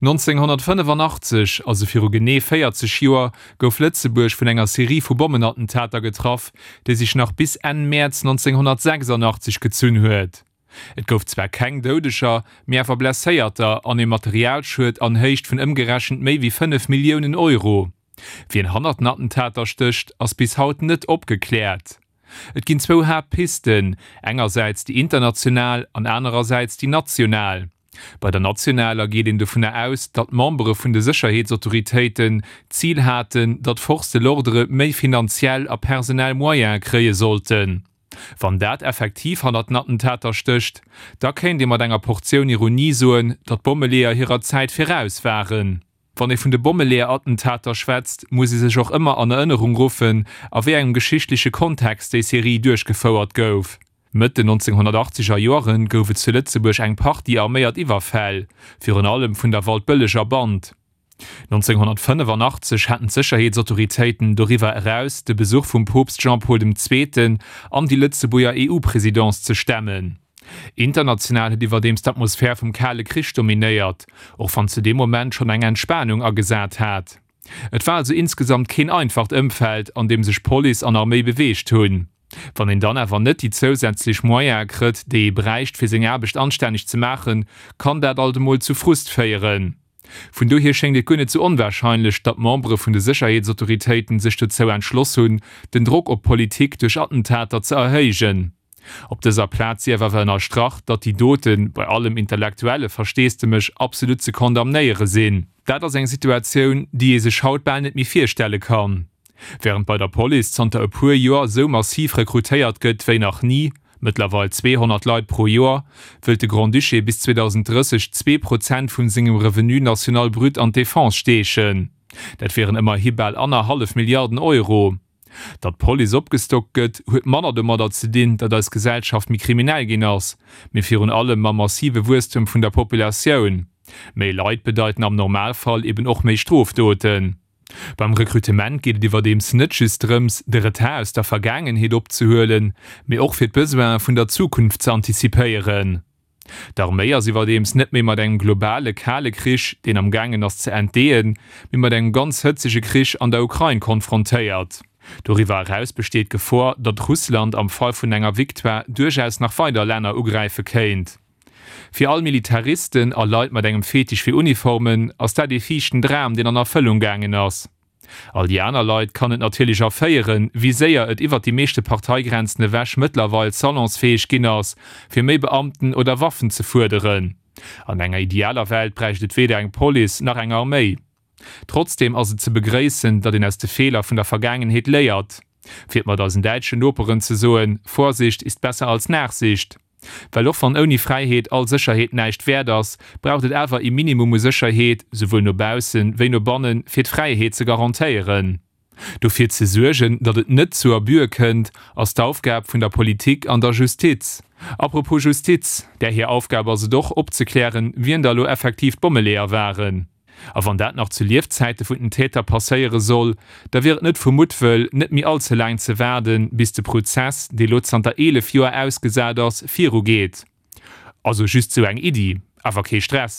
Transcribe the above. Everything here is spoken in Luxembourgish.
1985, also viru genee 40 Joer, gouf Lëtzebuerg vun enger Serie vu Bommenattentater getraff, déi sech nach bis Enn Mäerz 1986 gezunn huet. Et gouf zwar keng Doudeger, mee awer Blesséierter an ee Materialschued an Héicht vun ëmgerechent méi wéi 5 Milliounen Euro. Wien hannert den Attentater stécht, ass bis haut net opgekläert. Et ginn zwou Haaptpisten, engersäits déi international an anerersäits déi national. Bei der nationaler geet een dovunner aus, datt d'Membere vun de Sécherheetsautoritéiten d'Zil haten, datt d'Forces de l'ordre méi finanziell a personell Moyene kréie sollten. Wann dat effektiv hannert den Attentater stécht, da kéint ee mat enger Portioun Ironie soen, datt d'Bommeleeër hirer Zäit viraus waren. Wann ee vun de Bommeleeër-Attentater schwätzt, muss ee sech och ëmmer an Erënnerung ruffen, a wéi engem geschichtleche Kontext déi Serie duerchgefouert gouf. Mëtt den 1980 er Joere gouf et zu Lëtzebuerg eng Partie arméiert Iwwerfäll, virun allem vun der Waldbëlleger Band. 1985 haten d'Sécherheetsautoritéiten doriwwer eraus de Besuch vum Poopst Jean-Paul dem Zweeten an déi Lëtzebuerger EU-Presidence ze stemmen. International huet iwwerdeems d'Atmosphär vum Kale Krich dominéiert, och wann zu deem Moment schonn eng Entspanung agesat hat. Et war also insgesamt keen einfacht Ëmfeld, an deem sech Police an Arméi beweegt hunn. Wann een dann awer net déi zousätzlech Moyene krëtt, déi ee bräicht, fir seng Aarbecht anstänneg ze maachen, kann dat alt emol zu Frust féieren. Vun dohier schéngt et guer net sou onwahrscheinlech, datt d'Membere vun de Sécherheetsautoritéiten sech dozou entschloss hunn, den Drock op d'Politik duerch Attentater ze erhéijen. Op dëser Plaz sief awer ënnerstrach, datt déi Doten, bei allem intellektuelle Versteesdemech, absolut ze condamnéiere sinn. Dat ass eng Situatioun, déi ee sech haut bal net méi virstelle kann. Wärend bei der Police zanter e puer Joer esou massiv rekrutéiert gëtt wéi nach ni, mëttlerweil 200 Leit pro Joer, wëllt de Grand-Duché bis 2030 2% vun sengem Revenu national brut an d'Defense steechen. Dat wieren ëmmerhi bal annerhallef Milliarden Euro. Datt d'Police opgestockt gëtt, huet manner domadder ze dinn, datt eis Gesellschaft méi kriminell ginn ass, mee virun allem mam massive Wuesstem vun der Populatioun. Méi Leit bedeiten am Normalfall eben och méi Strofdoten. Beim Rekrutement geet et iwwerdeems net just drëms, de Retard aus der Vergaangenheet opzehuelen, mee och fir d'Besoine vun der Zukunft ze antizipéieren. D'Arméi ass iwwerdeems net méi mat engem globale Kale Krich, deen am gaangen ass ze entdeeën, mee mat engem ganz hëtzege Krich an der Ukrain konfrontéiert. Doriwwer eraus besteet d'Gefor, datt Russland am Fall vun enger Victoire duerchaus nach weider Länner ugräife kéint. Fir all Militaristen a Leit mat engem Fetisch fir Uniformen ass dat ee fiichten Dram, deen an Erfëllung gaangen ass. All déi aner Leit kann et natierlech erféieren, wéi séier et iwwert déi meeschte Parteigrenzen ewech mëttlerweil salonsfäeg ginn ass, fir méi Beamten oder Waffen ze fuerderen. An enger idealer Welt bräicht et weder eng Police nach eng Arméi. Trotzdeem ass et ze begréissen, datt een aus de Feeler vun der Vergaangenheet léiert. Fir et mat eisen däitschen Noperen ze soen, Vorsicht ist besser als Nachsicht. Well och wann ouni Fräiheet all Sécherheet näischt wäert ass, braucht et awer ee Minimum u Sécherheet, souwuel no baussen wéi no bannen, fir d'Fräiheet ze garantéieren. Dofir ze suergen, datt et net zu Abüe kënnt, ass d'Aufgab vun der Politik an der Justiz. Apropos Justiz, där hir Aufgab ass et och, opzeklären, wien da lo effektiv d'Bommeleeër waren. A wann dat nach zu Liefzäite vun den Täter passéiere soll, da wier et net vu Muttwëll, net méi all ze laang ze waarden, bis de Prozess, dee lo zanter 11 Joer ausgesat ass, virugeet. Also just sou eng Iddi, awer kee Stress.